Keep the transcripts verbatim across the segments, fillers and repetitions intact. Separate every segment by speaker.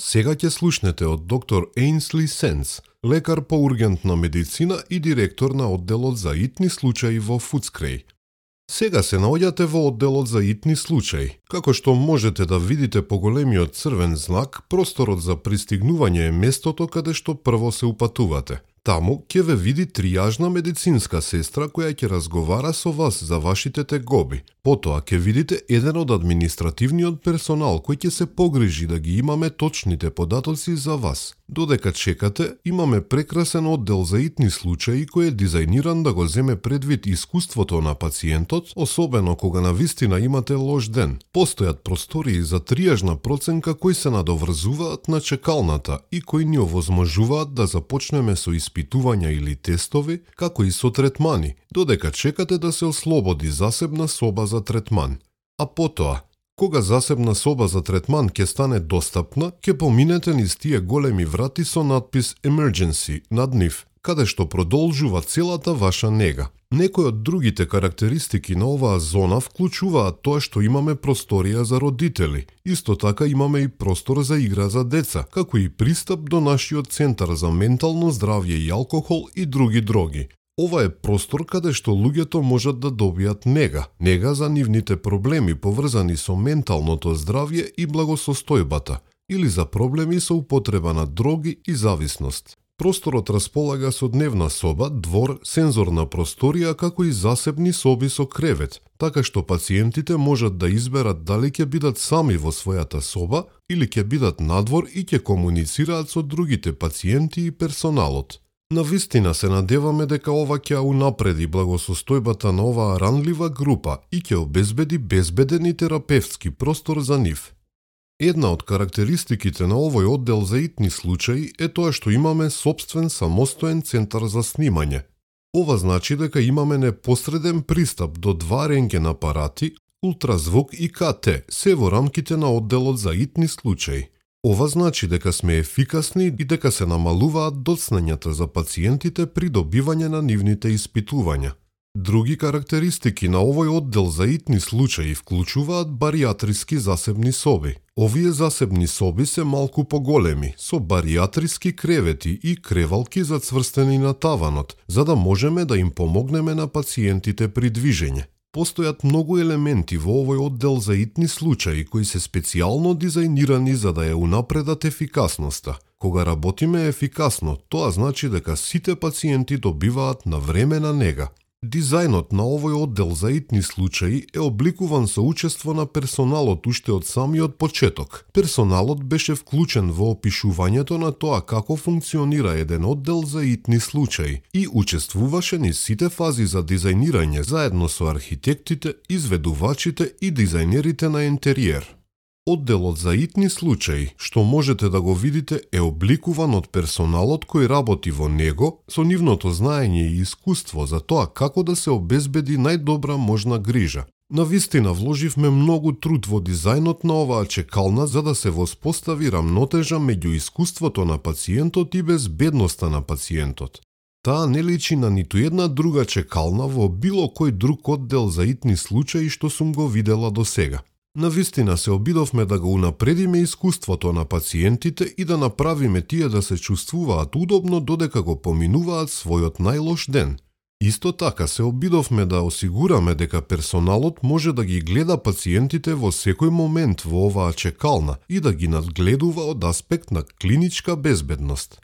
Speaker 1: Сега ќе слушнете од доктор Ейнсли Сенс, лекар по ургентна медицина и директор на одделот за итни случаи во Фудскреј. Сега се наоѓате во одделот за итни случаи. Како што можете да видите по големиот црвен знак, просторот за пристигнување е местото каде што прво се упатувате. Таму ќе ве види тријажна медицинска сестра која ќе разговара со вас за вашите тегоби. Потоа ќе видите еден од административниот персонал кој ќе се погрижи да ги имаме точните податоци за вас. Додека чекате, имаме прекрасен оддел за итни случаи кој е дизајниран да го земе предвид искуството на пациентот, особено кога навистина имате лош ден. Постојат простории за тријажна проценка кои се надоврзуваат на чекалната и кои ни овозможуваат да започнеме со испитувања или тестови, како и со третмани, додека чекате да се ослободи засебна соба за третман. А потоа, кога засебна соба за третман ќе стане достапна, ќе поминете низ тие големи врати со надпис Emergency над нив, каде што продолжува целата ваша нега. Некои од другите карактеристики на оваа зона вклучуваат тоа што имаме просторија за родители. Исто така имаме и простор за игра за деца, како и пристап до нашиот центар за ментално здравје и алкохол и други дроги. Ова е простор каде што луѓето можат да добијат нега, нега за нивните проблеми поврзани со менталното здравје и благосостојбата, или за проблеми со употреба на дроги и зависност. Просторот располага со дневна соба, двор, сензорна просторија, како и засебни соби со кревет, така што пациентите можат да изберат дали ќе бидат сами во својата соба или ќе бидат надвор и ќе комуницираат со другите пациенти и персоналот. Навистина се надеваме дека ова ќе унапреди благосостојбата на оваа ранлива група и ќе обезбеди безбеден и терапевтски простор за нив. Една од карактеристиките на овој оддел за итни случаи е тоа што имаме собствен самостоен центар за снимање. Ова значи дека имаме непосреден пристап до два рентген апарати, ултразвук и ка те, се во рамките на одделот за итни случаи. Ова значи дека сме ефикасни и дека се намалуваат доцнењата за пациентите при добивање на нивните испитувања. Други карактеристики на овој оддел за итни случаи вклучуваат баријатриски засебни соби. Овие засебни соби се малку поголеми, со баријатриски кревети и кревалки зацврстени на таванот, за да можеме да им помогнеме на пациентите при движење. Постојат многу елементи во овој оддел за итни случаи кои се специјално дизајнирани за да ја унапредат ефикасноста. Кога работиме ефикасно, тоа значи дека сите пациенти добиваат навремена нега. Дизајнот на овој оддел за итни случаи е обликуван со учество на персоналот уште од самиот почеток. Персоналот беше вклучен во опишувањето на тоа како функционира еден оддел за итни случаи и учествуваше низ сите фази за дизајнирање заедно со архитектите, изведувачите и дизајнерите на интериер. Одделот за итни случаи, што можете да го видите, е обликуван од персоналот кој работи во него со нивното знаење и искуство за тоа како да се обезбеди најдобра можна грижа. Навистина вложивме многу труд во дизајнот на оваа чекална за да се воспостави рамнотежа меѓу искуството на пациентот и безбедноста на пациентот. Таа не личи на ниту една друга чекална во било кој друг оддел за итни случаи што сум го видела до сега. Навистина се обидовме да го унапредиме искуството на пациентите и да направиме тие да се чувствуваат удобно додека го поминуваат својот најлош ден. Исто така се обидовме да осигураме дека персоналот може да ги гледа пациентите во секој момент во оваа чекална и да ги надгледува од аспект на клиничка безбедност.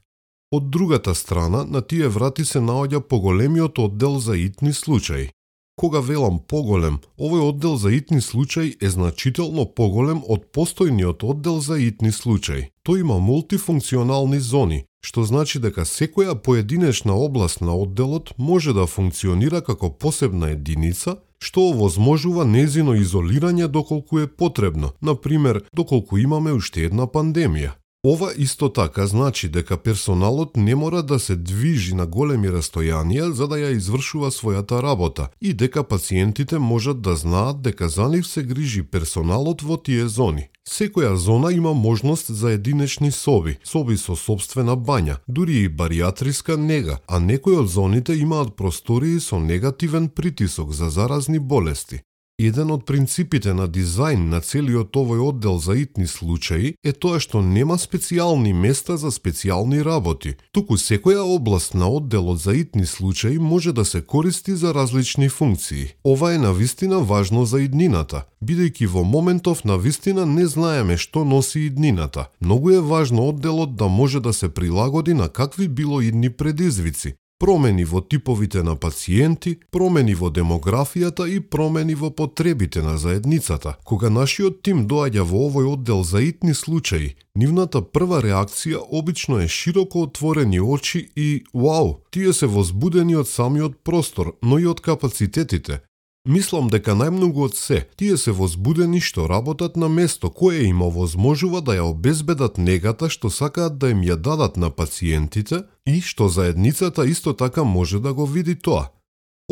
Speaker 1: Од другата страна, на тие врати се наоѓа поголемиот оддел за итни случаи. Кога велам поголем, овој оддел за итни случаи е значително поголем од постојниот оддел за итни случаи. Тој има мултифункционални зони, што значи дека секоја поединечна област на одделот може да функционира како посебна единица, што овозможува нејзино изолирање доколку е потребно, например, доколку имаме уште една пандемија. Ова исто така значи дека персоналот не мора да се движи на големи растојанија за да ја извршува својата работа и дека пациентите можат да знаат дека за нив се грижи персоналот во тие зони. Секоја зона има можност за единечни соби, соби со собствена бања, дури и баријатриска нега, а некои од зоните имаат простории со негативен притисок за заразни болести. Еден од принципите на дизајн на целиот овој оддел за итни случаи е тоа што нема специјални места за специјални работи, туку секоја област на одделот за итни случаи може да се користи за различни функции. Ова е навистина важно за иднината, бидејќи во моментов навистина не знаеме што носи иднината. Многу е важно одделот да може да се прилагоди на какви било идни предизвици, промени во типовите на пациенти, промени во демографијата и промени во потребите на заедницата. Кога нашиот тим доаѓа во овој оддел за итни случаи, нивната прва реакција обично е широко отворени очи и вау, тие се возбудени од самиот простор, но и од капацитетите. Мислам дека најмногу од се, тие се возбудени што работат на место кое им овозможува да ја обезбедат негата што сакаат да им ја дадат на пациентите и што заедницата исто така може да го види тоа.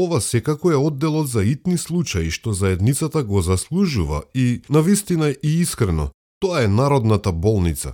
Speaker 1: Ова секако е одделот за итни случаи што заедницата го заслужува и, навистина и искрено, тоа е народната болница.